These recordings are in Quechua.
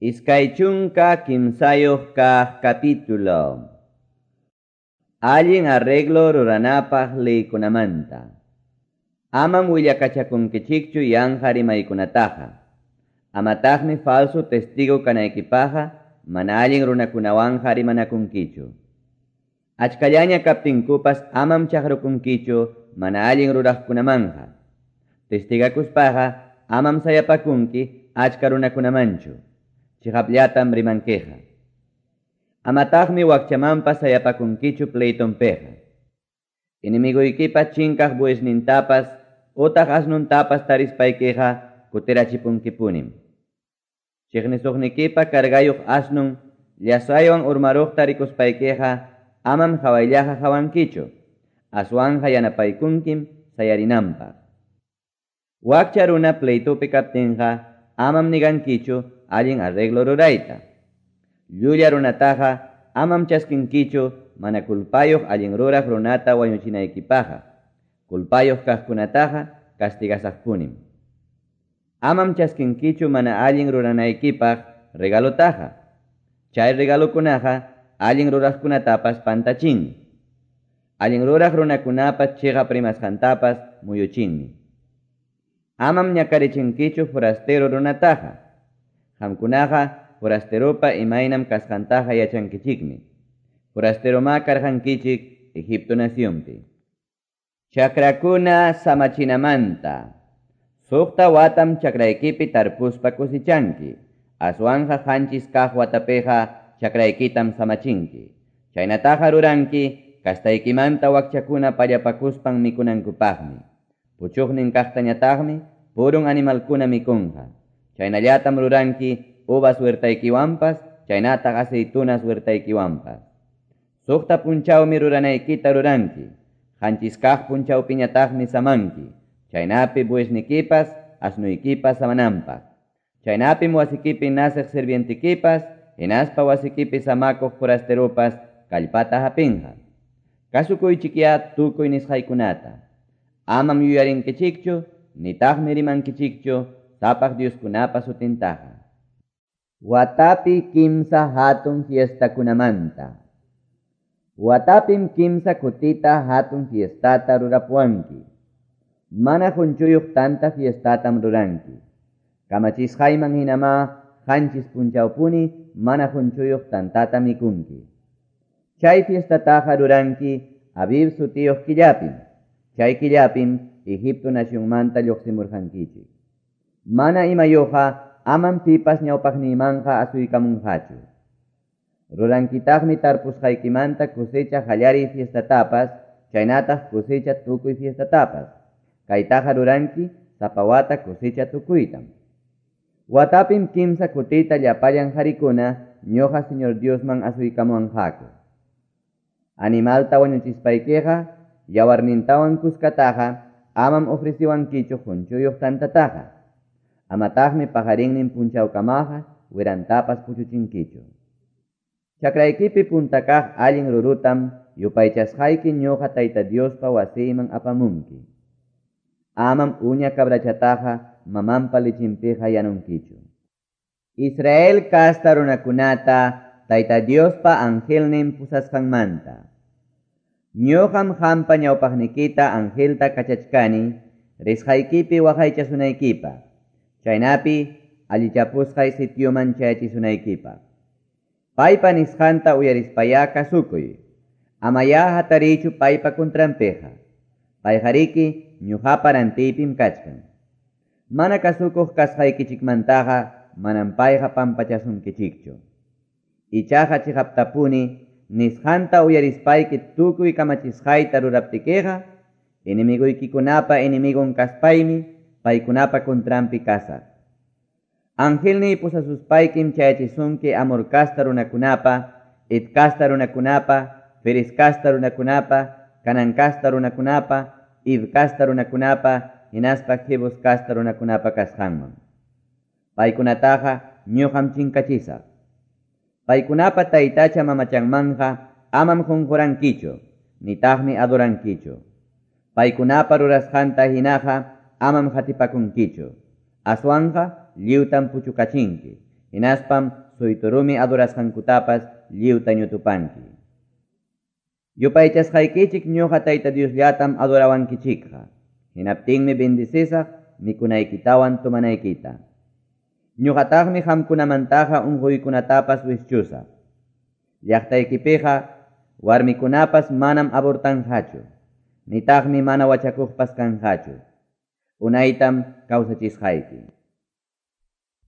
23 kaq capítulo. Allin arreglo ruranapaq leykunamanta. Amam willakachakunkichikchu yanqa rimaykunataqa. Amataqmi falso testigo kanaykipaqa mana allin runakunawanqa rimanakunkichu. Achkallaña kaptinkupas amam chaqrukunkichu mana allin ruraqkunamanqa. Testigakuspaqa amam sayapakunki achka runakunamanchu. Chiqapllatam rimankiqa. Amataqmi wakchamanpas sayapakunkichu pleitonpiqa. Enemiguykipa chinkaq buesnintapas utaq asnuntapas tarispaykiqa kutirachipunkipunim. Chiqnisuqnikipa cargayuq asnun llasaywan urmaruqta rikuspaykiqa amam hawayllaqa hawankichu, aswanja yanapaykunkim sayarinanpaq. Wakcha runa pleitupi kaptinqa amam nigankichu allin arreglo rurayta. Llulla runataqa amam chaskinkichu mana kulpayuq allin ruraq runata wañuchinaykipaqa. Kulpayuq kaqkunataqa castigasaqpunim. Amam chaskinkichu mana allin ruranaykipaq regalotaqa. Chay regalokunaqa allin ruraqkunatapas pantachinmi. Allin ruraq runakunapa chiqap rimasqantapas muyuchinmi. Amam ñakarichinkichu forastero runataqa. Qamkunaqa forasteropa imaynam kasqantaqa yachankichikmi. Forasteroma karqankichik Egipto nacionpi. Chakrakuna samachinamanta. Suqta watam chakraykipi tarpuspa kusichanki. Aswanja qanchis kaq watapiqa chakraykitam samachinki. Chaynataqa ruranki kastaykimanta wakchakuna pallapakuspan mikunankupaqmi. Puchuqnin kaqtañataqmi purun animalkuna mikunqa. Chaynallatam ruranki uvas huertaykiwanpas, chaynataq aceitunas huertaykiwanpas. Suqta punchawmi ruranaykita ruranki. Qanchis kaq punchawpiñataqmi samanki. Chaynapi buesnikipas, asnuykipas samananpaq. Chaynapim wasikipi naceq sirvientikipas, hinaspa wasikipi samakuq forasteropas kallpata hapinqa. Kasukuychikyá tukuy nisqaykunata. Amam yuyarinkichikchu, nitaqmi rimankichikchu sapaq Dioskunapa sutintaqa. Watapi kimsa hatun fiestakunamanta. Watapim kimsa kutita hatun fiestata rurapuanki. Mana qunchuyuq tanta fiestatam ruranki. Kamachisqayman hinama qanchis punchawpuni mana qunchuyuq tantata mikunki. Chay fiestataqa ruranki Abib sutiyuq killapim. Chay killapim Egipto nacionmanta lluqsimurqankichik. Mana imayuqa amam pipas ñawpaqniymanqa asuykamunqachu. Rurankitaqmi tarpusqaykimanta cosecha qallariy fiestatapas, chaynataq cosecha tukuy fiestatapas. Kaytaqa ruranki sapa wata cosecha tukuytam. Watapim kimsa kutita llapallan qarikuna ñuqa Señor Diosman asuykamuwanqaku. Animalta wañuchispaykiqa yawarnintawan kuskataqa amam ofreciwankichu qunchuyuq tantataqa. Amataqmi paqarinnin punchawkamaqa wirantapas puchuchinkichu. Chakraykipi punta kaq allin rurutam yupaychasqayki ñuqa Tayta Diospa wasiyman apamunki. Amam uña cabrachataqa mamanpa lichinpiqa yanunkichu. Israel kasta runakunata Tayta Diospa angelnin pusasqanmanta. Ñuqam qampa ñawpaqnikita angelta kachachkani risqaykipi waqaychasunaykipaq. Chaynapi allichapusqay sitioman chayachisunaykipaq. Paypa nisqanta uyarispayá kasukuy. Amayá hatarichu paypa contranpiqa. Payqariki ñuqapa rantiypim kachkan. Mana kasukuq kasqaykichikmantaqa manam payqa pampachasunkichikchu. Ichaqa chiqaptapuni nisqanta uyarispayki tukuy kamachisqayta ruraptikiqa enemiguykikunapa enemigon kaspaymi paykunapa contranpi kasaq. Angelniy pusasuspaykim chayachisunki Amor kasta runakunapa, Het kasta runakunapa, Ferez kasta runakunapa, Canaan kasta runakunapa, Hiv kasta runakunapa, hinaspa Jebus kasta runakunapa kasqanman. Paykunataqa ñuqam chinkachisaq. Paykunapa taytacha mamachanmanja amam qunqurankichu, nitaqmi adorankichu. Paykunapa rurasqanta hinaqa amam qatipakunkichu. Aswanja lliwtam puchukachinki, Hinaspam suytu rumi adorasqankutapas lliwta ñutupanki. Yupaychasqaykichik ñoqa Tayta Diosllatam adorawankichikqa. Hinaptinmi bendecisaq mikunaykitawan tomanaykita. Ñoqataqmi qamkunamantaqa unquykunatapas wischusaq. Llaqtaykipiqa warmikunapas manam abortanqachu, nitaqmi mana wachakuqpas kanqachu. Unaytam kawsachisqayki.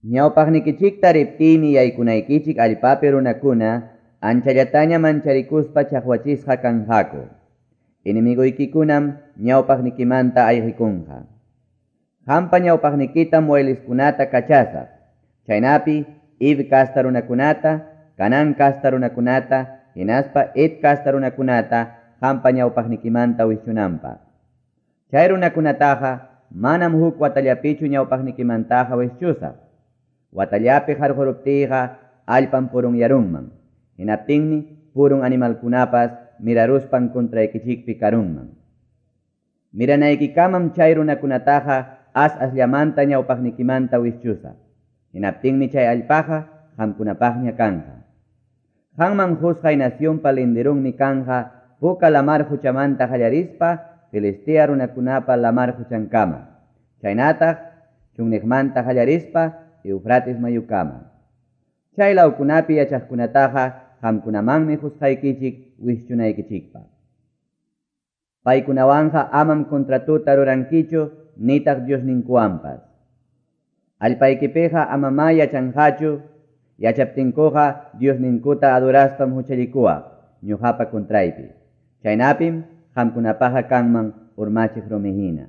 Ñawpaqnikichikta riptiymi yaykunaykichik allpapi runakuna anchallataña mancharikuspa chaqwachisqa kanqaku. Enemiguykikunam ñawpaqnikimanta ayqikunqa. Qampa ñawpaqnikitam wayliskunata kachasaq. Chaynapi Hiv kasta runakunata, Canán kasta runakunata, hinaspa Het kasta runakunata qampa ñawpaqnikimanta wischunanpaq. Chay runakunataqa manam huk watallapichu ñawpaqnikimantaqa wischusaq. Watallapi qarquruptiyqa allpam purunyarunman. Hinaptinmi purun animalkunapas miraruspan contraykichikpi karunman. Miranaykikamam chay runakunataqa as-asllamanta ñawpaqnikimanta wischusaq. Hinaptinmi chay allpaqa qamkunapaqña kanqa. Qanman qusqay nacionpa linderunmi kanqa Puka lamar quchamanta qallarispa Filistea runakunapa lamar quchankama. Chaynataq chunniqmanta qallarispa Eufrates mayukama. Chay lawkunapi yachaqkunataqa qamkunamanmi qusqaykichik wischunaykichikpaq. Paykunawanqa amam contratuta rurankichu nitaq Diosninkuwanpas. Allpaykipiqa amamá yachanqachu, yachaptinkuqa Diosninkuta adoraspam huchallikuwaq ñuqapa contraypi. Chaynapim qamkunapaqqa kanman urmachiq rumi hina.